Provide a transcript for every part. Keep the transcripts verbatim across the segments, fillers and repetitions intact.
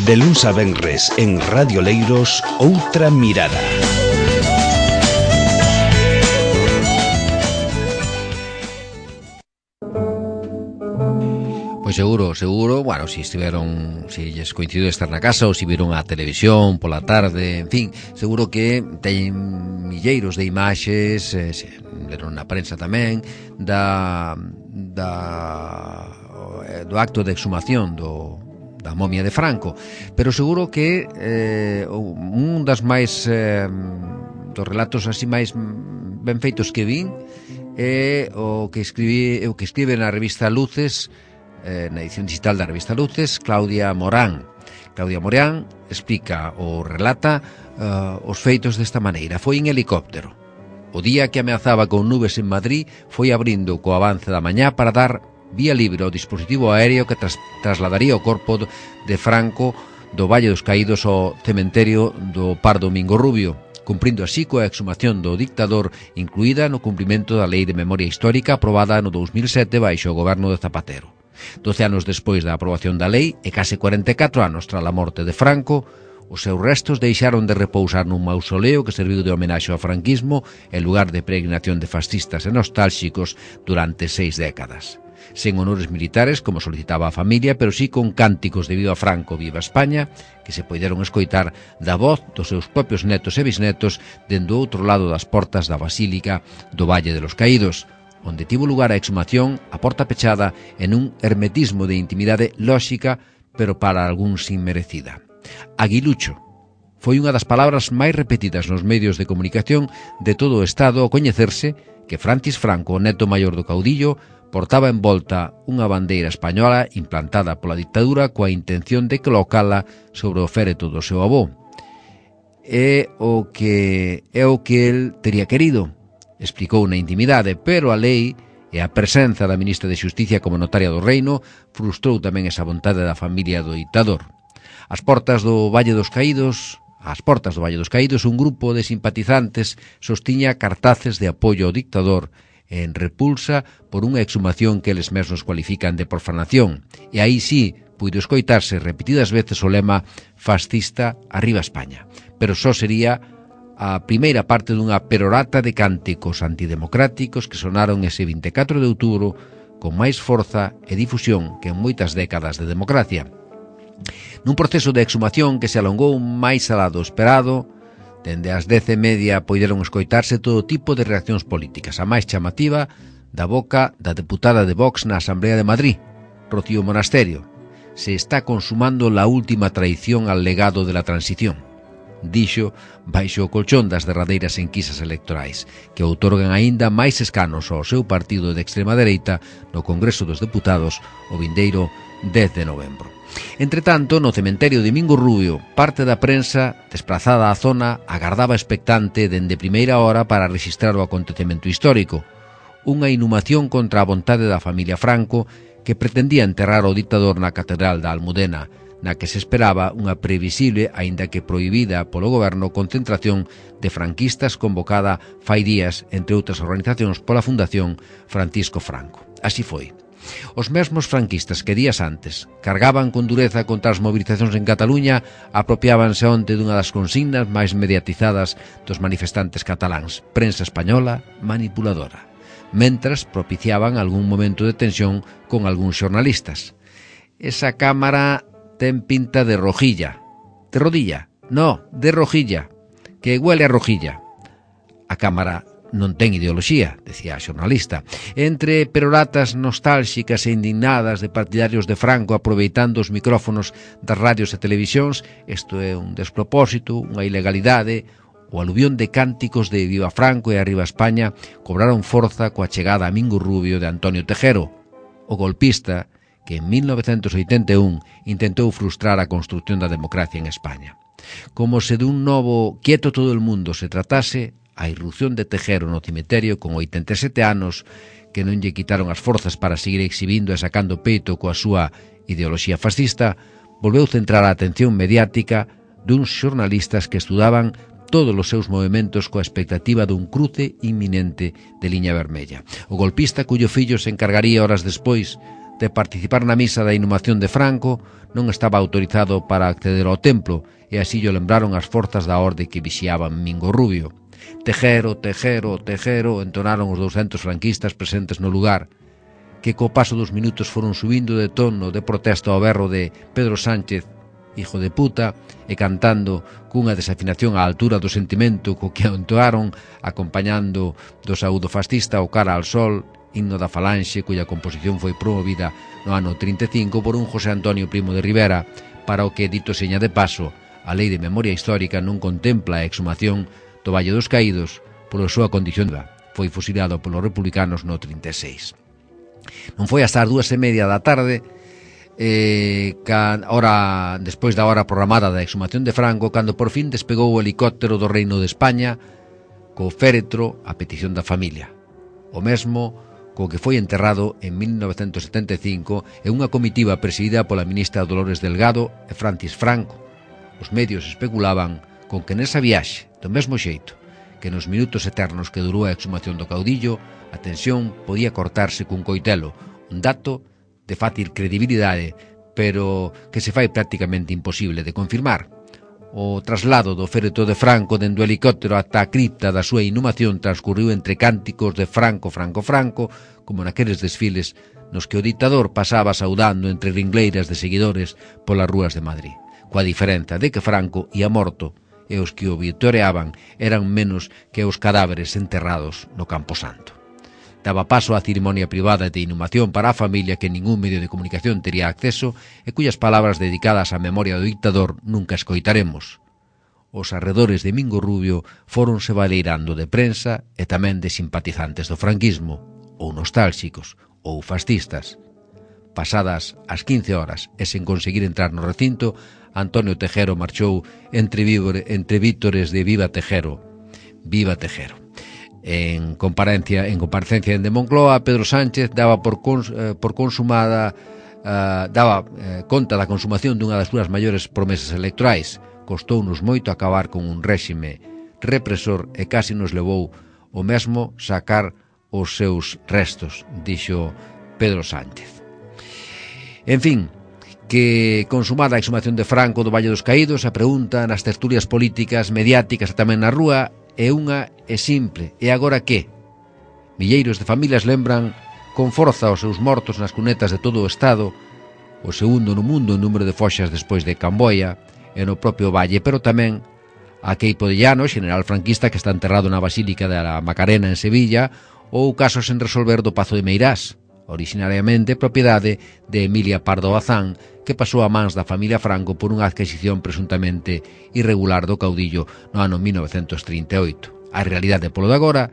De luns a venres en Radio Leiros, Outra Mirada. Pois seguro, seguro, bueno, si estiveron, si lles coincidiu estar na casa ou si viron a televisión pola tarde, en fin, seguro que teñen milleiros de imaxes, eh, se leron na prensa tamén, da, da, do acto de exhumación do, da momia de Franco, pero seguro que eh, un das máis, eh, dos relatos así máis ben feitos que vin, é o que escribí, o que escribe na revista Luces, na edición digital da revista Luces, Claudia Morán. Claudia Morán explica ou relata uh, os feitos desta maneira. Foi en helicóptero. O día que ameazaba con nubes en Madrid foi abrindo co avance da mañá para dar vía libre ao dispositivo aéreo que tras, trasladaría o corpo de Franco do Valle dos Caídos ao cementerio do Pardo Domingo Rubio, cumprindo así coa exhumación do dictador incluída no cumprimento da Lei de Memoria Histórica aprobada no dos mil sete baixo o goberno de Zapatero. Doce anos despois da aprobación da lei e case cuarenta e catro anos tras a morte de Franco, os seus restos deixaron de repousar nun mausoleo que serviu de homenaxe ao franquismo en lugar de peregrinación de fascistas e nostálxicos durante seis décadas. Sen honores militares, como solicitaba a familia, pero sí con cánticos de Viva Franco, Viva España, que se poideron escoitar da voz dos seus propios netos e bisnetos dende o outro lado das portas da Basílica do Valle de los Caídos, onde tivo lugar a exhumación a porta pechada en un hermetismo de intimidade lóxica, pero para algúns inmerecida. Aguilucho foi unha das palabras máis repetidas nos medios de comunicación de todo o Estado ao coñecerse que Francis Franco, o neto maior do caudillo, portaba en volta unha bandeira española implantada pola dictadura coa intención de colocala sobre o féretro do seu avó. É o que é o que el tería querido, explicou na intimidade, pero a lei e a presenza da ministra de Xusticia como notaria do reino frustrou tamén esa vontade da familia do dictador. As portas do Valle dos Caídos, ás portas do Valle dos Caídos, un grupo de simpatizantes sostiña cartaces de apoio ao dictador en repulsa por unha exhumación que eles mesmos cualifican de profanación, e aí sí puido escoitarse repetidas veces o lema fascista arriba España, pero só sería a primeira parte dunha perorata de cánticos antidemocráticos que sonaron ese vinte e catro de outubro con máis forza e difusión que en moitas décadas de democracia. Nun proceso de exhumación que se alongou máis alá do esperado, dende as dez e media poideron escoitarse todo tipo de reaccións políticas, a máis chamativa da boca da deputada de Vox na Asamblea de Madrid, Rocío Monasterio. Se está consumando la última traición al legado de la transición, dixo baixo o colchón das derradeiras enquisas electorais, que outorgan aínda máis escanos ao seu partido de extrema dereita no Congreso dos Deputados o vindeiro dez de novembro. Entretanto, no cementerio de Domingo Rubio, parte da prensa, desplazada á zona, agardaba expectante dende primeira hora para registrar o acontecemento histórico, unha inhumación contra a vontade da familia Franco que pretendía enterrar o dictador na Catedral da Almudena, na que se esperaba unha previsible, aínda que prohibida polo goberno, concentración de franquistas convocada fai días, entre outras organizacións, pola Fundación Francisco Franco. Así foi. Os mesmos franquistas que días antes cargaban con dureza contra as movilizacións en Cataluña apropiábanse onte dunha das consignas máis mediatizadas dos manifestantes cataláns: prensa española manipuladora, mentras propiciaban algún momento de tensión con algúns xornalistas. Esa cámara ten pinta de rojilla. De rodilla? No, de rojilla. Que huele a rojilla. A cámara non ten ideoloxía, decía a xornalista. Entre peroratas nostálxicas e indignadas de partidarios de Franco aproveitando os micrófonos das radios e televisións, isto é un despropósito, unha ilegalidade, o aluvión de cánticos de Viva Franco e Arriba España cobraron forza coa chegada a Domingo Rubio de Antonio Tejero, o golpista que en mil novecentos oitenta e un intentou frustrar a construción da democracia en España. Como se dun novo quieto todo el mundo se tratase, a irrupción de Tejero no cemiterio con oitenta e sete anos, que non lle quitaron as forzas para seguir exhibindo e sacando peito coa súa ideoloxía fascista, volveu centrar a atención mediática duns xornalistas que estudaban todos os seus movimentos coa expectativa dun cruce inminente de liña vermella. O golpista cuyo fillo se encargaría horas despois de participar na misa da inhumación de Franco, non estaba autorizado para acceder ao templo, e así llo lembraron as forzas da orde que vixiaban Mingo Rubio. Tejero, Tejero, Tejero, entonaron os douscentos franquistas presentes no lugar, que co paso dos minutos foron subindo de tono de protesta ao berro de Pedro Sánchez, hijo de puta, e cantando cunha desafinación á altura do sentimento co que entoaron, acompañando do saúdo fascista o cara al sol, himno da Falanxe, cuya composición foi promovida no ano trinta e cinco por un José Antonio Primo de Rivera, para o que, dito seña de paso, a Lei de Memoria Histórica non contempla a exhumación do Valle dos Caídos pola súa condición de foi fusilado polos republicanos no trinta e seis. Non foi hasta as dúas e media da tarde, eh, can, hora, despois da hora programada da exhumación de Franco, cando por fin despegou o helicóptero do Reino de España co féretro a petición da familia. O mesmo co que foi enterrado en mil novecentos setenta e cinco en unha comitiva presidida pola ministra Dolores Delgado e Francis Franco. Os medios especulaban con que nesa viaxe, do mesmo xeito que nos minutos eternos que durou a exhumación do caudillo, a tensión podía cortarse cun coitelo, un dato de fácil credibilidade, pero que se fai prácticamente imposible de confirmar. O traslado do féretro de Franco dende o helicóptero ata a cripta da súa inhumación transcurriu entre cánticos de Franco, Franco, Franco, como naqueles desfiles nos que o dictador pasaba saudando entre ringleiras de seguidores polas rúas de Madrid, coa diferenza de que Franco ia morto e os que o vitoreaban eran menos que os cadáveres enterrados no Camposanto. Daba paso á cerimonia privada de inhumación para a familia que ningún medio de comunicación tería acceso e cuyas palabras dedicadas á memoria do dictador nunca escoitaremos. Os arredores de Mingo Rubio fóronse baleirando de prensa e tamén de simpatizantes do franquismo, ou nostálxicos, ou fascistas. Pasadas as quince horas e sen conseguir entrar no recinto, Antonio Tejero marchou entre, víbore, entre vítores de Viva Tejero, Viva Tejero. En comparencia, en comparecencia de Moncloa, Pedro Sánchez daba por, cons, eh, por consumada uh, daba eh, conta da consumación dunha das súas maiores promesas electorais. Costounos moito acabar con un réxime represor e casi nos levou o mesmo sacar os seus restos, dixo Pedro Sánchez. En fin, que consumada a exhumación de Franco do Valle dos Caídos, a pregunta nas tertulias políticas, mediáticas e tamén na rúa é unha e simple: e agora que? Milleiros de familias lembran con forza os seus mortos nas cunetas de todo o Estado, o segundo no mundo en número de foxas despois de Camboia e no propio Valle, pero tamén a Queipo de Llano, general franquista que está enterrado na Basílica da Macarena en Sevilla, ou casos en resolver do Pazo de Meirás, originariamente propiedade de Emilia Pardo Bazán, que pasou a mans da familia Franco por unha adquisición presuntamente irregular do caudillo no ano mil novecentos trinta e oito. A realidade polo de agora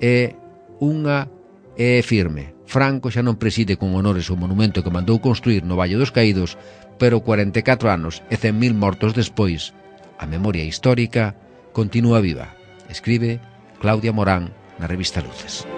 é unha é firme. Franco xa non preside con honores o monumento que mandou construir no Valle dos Caídos, pero cuarenta e catro anos e cen mil mortos despois, a memoria histórica continúa viva. Escribe Claudia Morán na revista Luces.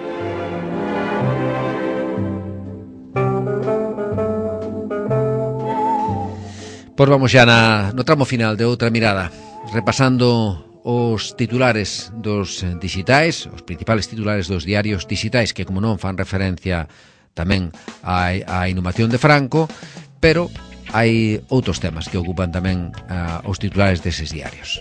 Pois vamos xa na, no tramo final de outra mirada, repasando os titulares dos digitais, os principales titulares dos diarios digitais, que como non fan referencia tamén á, á inhumación de Franco, pero hai outros temas que ocupan tamén uh, os titulares deses diarios.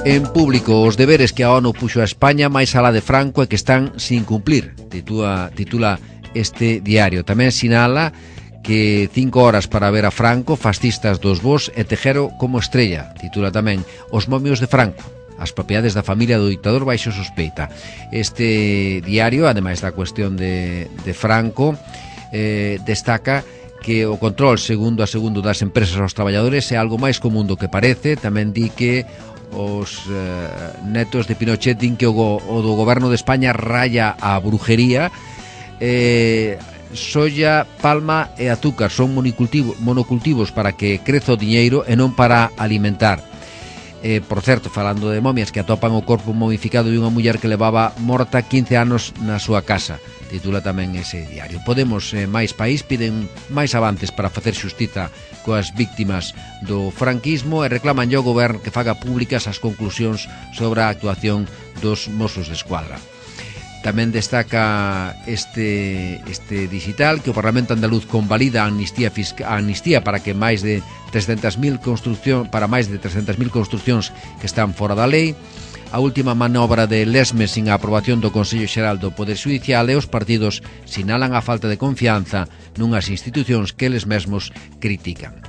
En público, os deberes que a ONU puxo a España máis alá de Franco e que están sin cumplir, titula, titula este diario. Tamén sinala que cinco horas para ver a Franco, fascistas dos vos e Tejero como estrella. Titula tamén Os momios de Franco, as propiedades da familia do dictador baixo sospeita. Este diario, ademais da cuestión de, de Franco, eh, destaca que o control segundo a segundo das empresas aos traballadores é algo máis común do que parece. Tamén di que os eh, netos de Pinochet din que o, o do goberno de España raya a brujería. Eh, soya, palma e azúcar son monocultivo, monocultivos para que creza o diñeiro e non para alimentar. Eh, por certo, falando de momias, que atopan o corpo momificado de unha muller que levaba morta quince anos na súa casa, titula tamén ese diario. Podemos, eh, máis país, piden máis avances para facer xustiza coas víctimas do franquismo e reclaman ao goberno que faga públicas as conclusións sobre a actuación dos Mossos de Escuadra. Tamén destaca este, este digital que o Parlamento Andaluz convalida a amnistía, fisca, a amnistía para que máis de trescentas mil construcción, para máis de trescentas mil construccións que están fora da lei. A última manobra de Lesmes sin a aprobación do Consello Xeral do Poder Xudicial, e os partidos sinalan a falta de confianza nunhas institucións que eles mesmos critican.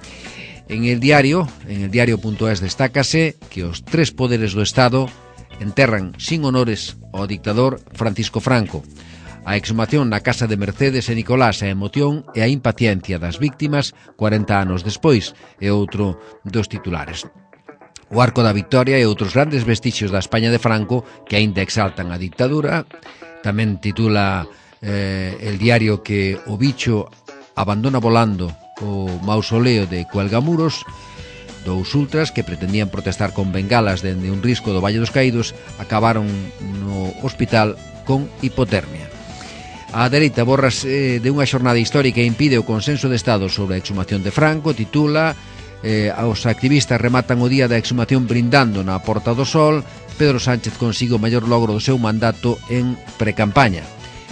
En el diario, en el diario.es destácase que os tres poderes do Estado enterran sin honores ao dictador Francisco Franco. A exhumación na casa de Mercedes e Nicolás, a emoción e a impaciencia das víctimas cuarenta anos despois, é outro dos titulares. O Arco da Victoria e outros grandes vestixios da España de Franco que aínda exaltan a dictadura. Tamén titula eh, el diario que o bicho abandona volando o mausoleo de Cuelgamuros. Dous ultras que pretendían protestar con bengalas dende un risco do Valle dos Caídos acabaron no hospital con hipotermia. A dereita borrase de unha xornada histórica e impide o consenso de Estado sobre a exhumación de Franco. Titula eh, os activistas rematan o día da exhumación brindando na Porta do Sol. Pedro Sánchez consigue o maior logro do seu mandato en precampaña,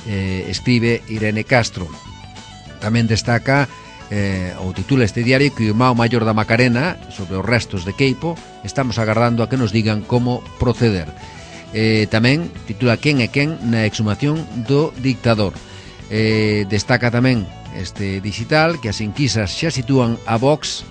eh, escribe Irene Castro. Tamén destaca Eh, ou titula este diario que o irmão maior da Macarena sobre os restos de Queipo estamos agardando a que nos digan como proceder. Eh, tamén titula quen é quen na exhumación do dictador. Eh, destaca tamén este digital que as enquisas xa sitúan a Vox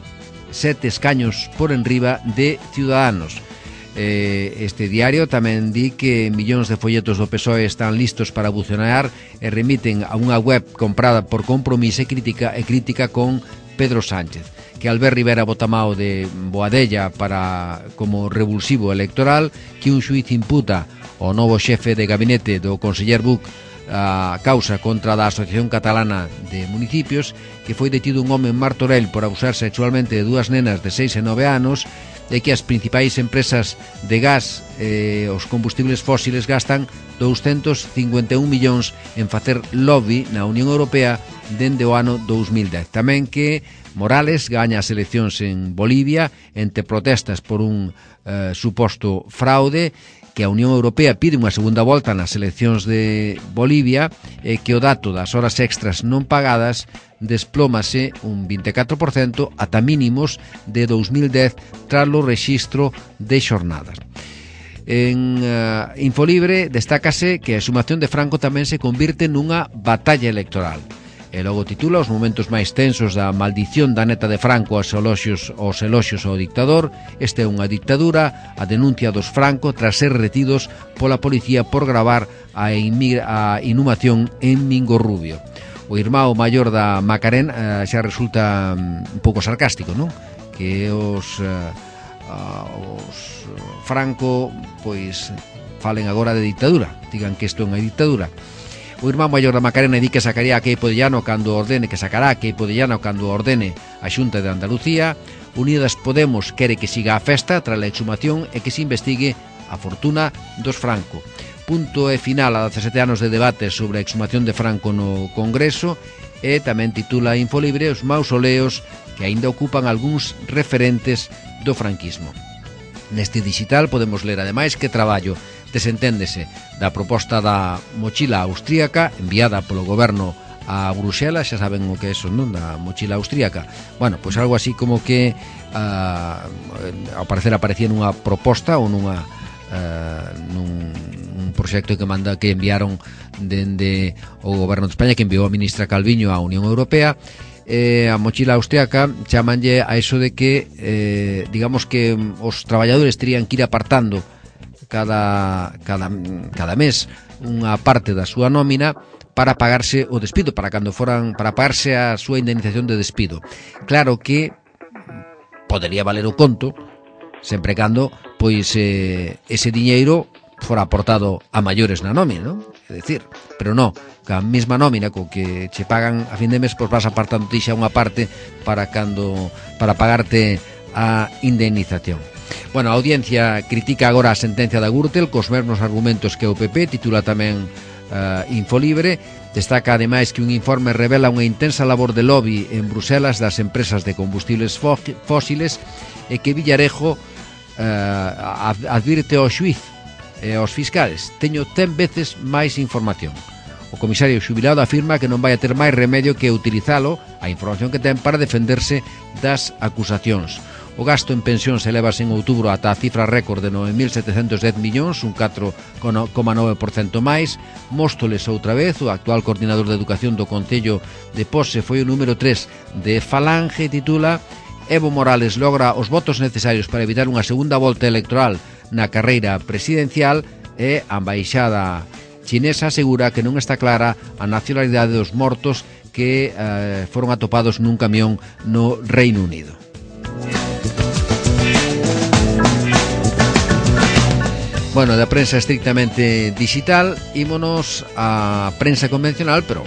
sete escaños por enriba de Ciudadanos. Eh, este diario tamén di que millóns de folletos do P S O E están listos para buzonear e remiten a unha web comprada por Compromiso e crítica, e crítica con Pedro Sánchez, que Albert Rivera Botamao de Boadella para como revulsivo electoral, que un xuiz imputa ao novo xefe de gabinete do conseller Buch a causa contra da Asociación Catalana de Municipios, que foi detido un home en Martorell por abusar sexualmente de dúas nenas de seis e nove anos, e que as principais empresas de gas e eh, os combustibles fósiles gastan douscentos cincuenta e un millóns en facer lobby na Unión Europea dende o ano dous mil dez. Tamén que Morales gaña as eleccións en Bolivia entre protestas por un eh, suposto fraude, que a Unión Europea pide unha segunda volta nas eleccións de Bolivia e que o dato das horas extras non pagadas desplómase un vinte e catro por cento ata mínimos de dous mil dez tras o rexistro de xornadas. En uh, Infolibre destácase que a exhumación de Franco tamén se convirte nunha batalla electoral. E logo titula os momentos máis tensos da maldición da neta de Franco aos eloxios, aos eloxios ao dictador. Esta é unha dictadura, a denuncia dos Franco tras ser retidos pola policía por gravar a, a inhumación en Mingorrubio. O irmão maior da Macarena uh, xa resulta um, un pouco sarcástico, non? Que os, uh, uh, os Franco pois falen agora de dictadura, digan que isto é unha dictadura. O irmán maior da Macarena di que sacaría a Queipo de Llano cando ordene, que sacará a Queipo de Llano cando ordene a Xunta de Andalucía. Unidas Podemos quere que siga a festa tras a exhumación e que se investigue a fortuna dos Franco. Punto e final a dezasete anos de debate sobre a exhumación de Franco no Congreso, e tamén titula Infolibre os mausoleos que aínda ocupan algúns referentes do franquismo. Neste digital podemos ler ademais que traballo desenténdese da proposta da mochila austríaca enviada polo goberno a Bruxelas, xa saben o que é eso, non? Da mochila austríaca. Bueno, pois algo así como que uh, ao parecer aparecía nunha proposta ou nunha uh, nun un proxecto que manda que enviaron dende o goberno de España, que enviou a ministra Calviño á Unión Europea. Eh, a mochila austríaca chamanlle a eso de que eh, digamos que os traballadores terían que ir apartando cada, cada, cada mes unha parte da súa nómina para pagarse o despido, para cando foran, para pagarse a súa indemnización de despido. Claro que podería valer o conto sempre cando pois eh, ese diñeiro fora aportado a maiores na nómina, non? É dicir, pero non, ca mesma nómina co que che pagan a fin de mes, pois vas apartando ti xa unha parte para cando para pagarte a indemnización. Bueno, a audiencia critica agora a sentencia da Gürtel cos mesmos argumentos que o P P, titula tamén uh, Infolibre. Destaca ademais que un informe revela unha intensa labor de lobby en Bruselas das empresas de combustibles fósiles e que Villarejo uh, advirte ao xuiz e aos fiscales: teño cen veces máis información. O comisario xubilado afirma que non vai a ter máis remedio que utilizalo, a información que ten, para defenderse das acusacións. O gasto en pensións elevase en outubro ata a cifra récord de nove mil setecentos dez millóns, un catro coma nove por cento máis. Móstoles outra vez, o actual coordinador de educación do Concello de Pose foi o número tres de Falange, titula: Evo Morales logra os votos necesarios para evitar unha segunda volta electoral na carreira presidencial, e a embaixada chinesa asegura que non está clara a nacionalidade dos mortos que eh, foron atopados nun camión no Reino Unido. Bueno, da prensa estrictamente digital, ímonos á prensa convencional, pero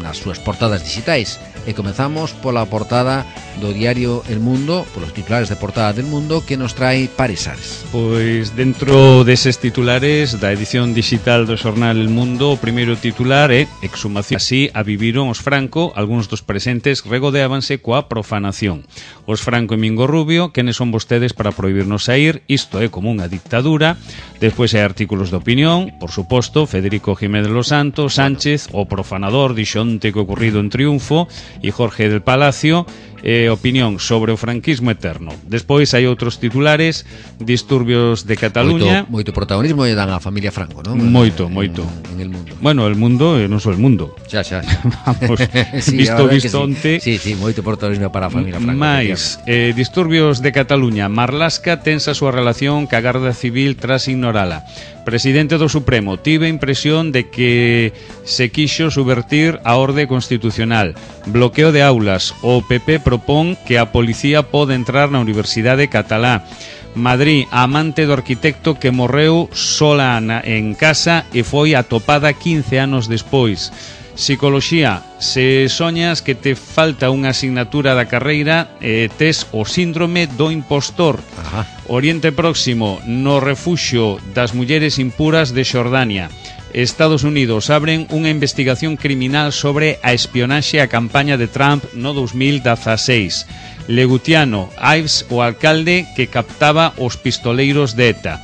nas súas portadas digitais. E comezamos pola portada do diario El Mundo, polos titulares de portada del Mundo, que nos trae Paris Ares. Pois dentro deses titulares da edición digital do xornal El Mundo, o primeiro titular é exhumación. Así a viviron os Franco, algúns dos presentes regodeábanse coa profanación. Os Franco e Mingo Rubio, quenes son vostedes para prohibirnos sair? Isto é como unha dictadura. Despois hai artículos de opinión, por suposto, Federico Jiménez Los Santos, Sánchez, o profanador, dixonte que ocorrido en Triunfo, e Jorge del Palacio, eh, opinión sobre o franquismo eterno. Despois hai outros titulares: disturbios de Cataluña. Moito, moito protagonismo lle dan á familia Franco, non? Moito, moito. En, en el mundo. Bueno, el mundo, e non só el mundo. Xa, xa. Vamos, sí, visto vistonte. Sí. sí, sí, moito protagonismo para a familia Franco. Mais, eh, disturbios de Cataluña. Marlaska tensa a súa relación ca Garda Civil tras ignorala. Presidente do Supremo: tive a impresión de que se quixo subvertir a orde constitucional. Bloqueo de aulas. O P P propón que a policía pode entrar na Universidade Catalá. Madrid: a amante do arquitecto que morreu sola na, en casa e foi atopada quince anos despois. Psicoloxía: se soñas que te falta unha asignatura da carreira, eh, tes o síndrome do impostor. Ajá. Oriente Próximo: no refuxio das mulleres impuras de Xordania. Estados Unidos: abren unha investigación criminal sobre a espionaxe a campaña de Trump no dos mil dezaseis. Legutiano: Ives, o alcalde que captaba os pistoleiros de ETA.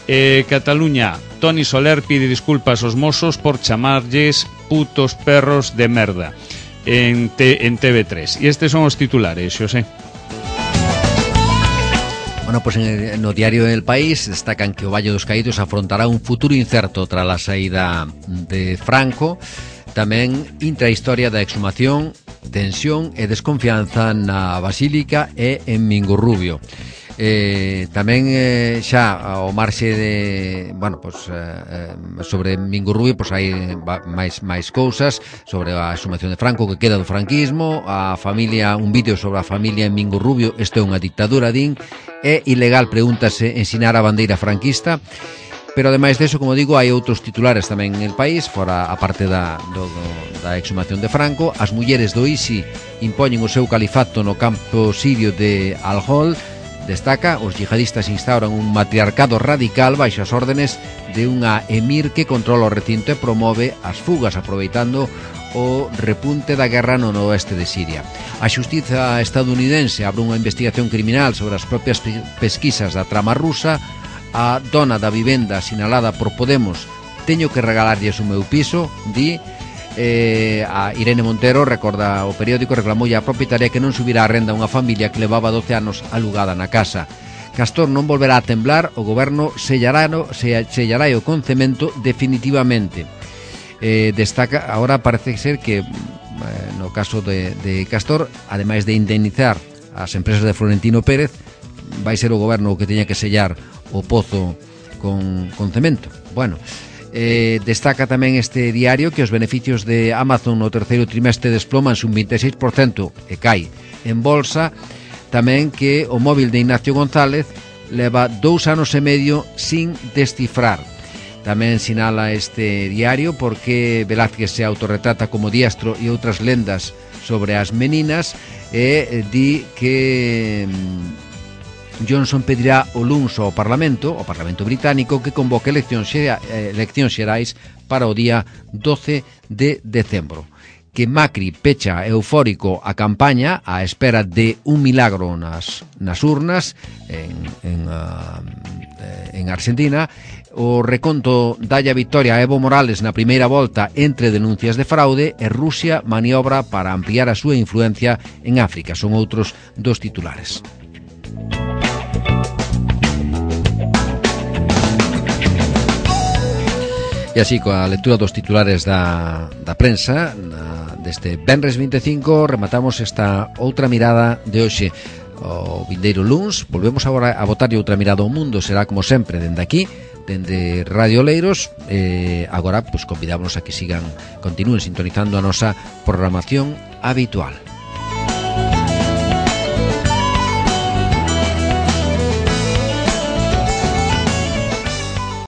Eh, Cataluña: Toni Soler pide disculpas aos mozos por chamarlles putos perros de merda. En, te, en T V tres. E estes son os titulares, Xosé. Bueno, pues en, no diario El País destacan que o Valle dos Caídos afrontará un futuro incerto tras a saída de Franco. Tamén intrahistoria da exhumación, tensión e desconfianza na Basílica e en Mingo Rubio. Eh, tamén eh, xa ao marxe de, bueno, pues, eh, sobre Mingo Rubio, pues hai máis máis cousas sobre a exhumación de Franco, que queda do franquismo, a familia, un vídeo sobre a familia en Mingo Rubio, isto é unha dictadura, din, é ilegal, pregúntase, ensinar a bandeira franquista. Pero ademais deso, como digo, hai outros titulares tamén en El País, fora a parte da, do, do, da exhumación de Franco. As mulleres do I S I impoñen o seu califato no campo sirio de Al-Hol. Destaca: os yihadistas instauran un matriarcado radical baixo as órdenes de unha emir que controla o recinto e promove as fugas, aproveitando o repunte da guerra no noroeste de Siria. A xustiza estadounidense abre unha investigación criminal sobre as propias pesquisas da trama rusa. A dona da vivenda sinalada por Podemos: teño que regalarlles o meu piso, di. Eh, a Irene Montero, recorda o periódico, reclamoulle a propietaria que non subirá a renda a unha familia que levaba doce anos alugada na casa. Castor non volverá a temblar, o goberno sellará, sellará o concemento definitivamente. Eh, destaca, agora parece ser que eh, no caso de, de Castor, ademais de indemnizar as empresas de Florentino Pérez, vai ser o goberno o que teña que sellar o pozo con, con cemento. Bueno, Eh, destaca tamén este diario que os beneficios de Amazon no terceiro trimestre desplomanse un vinte e seis por cento e cai en bolsa. Tamén que o móvil de Ignacio González leva dous anos e medio sin descifrar. Tamén sinala este diario porque Velázquez se autorretrata como diestro e outras lendas sobre as meninas, e di que Johnson pedirá o luns ao Parlamento, ao Parlamento británico, que convoque eleccións, eleccións xerais para o día doce de decembro. Que Macri pecha eufórico a campaña á espera de un milagro nas, nas urnas en, en, uh, eh, en Argentina. O reconto dalle a victoria a Evo Morales na primeira volta entre denuncias de fraude, e Rusia maniobra para ampliar a súa influencia en África. Son outros dos titulares. E así, coa lectura dos titulares da, da prensa na, deste venres vinte e cinco, rematamos esta outra mirada de hoxe. O vindeiro luns volvemos agora a botarlle outra mirada ao mundo. Será como sempre dende aquí, dende Radio Oleiros. eh, Agora, pues, convidámonos a que sigan, continúen sintonizando a nosa programación habitual.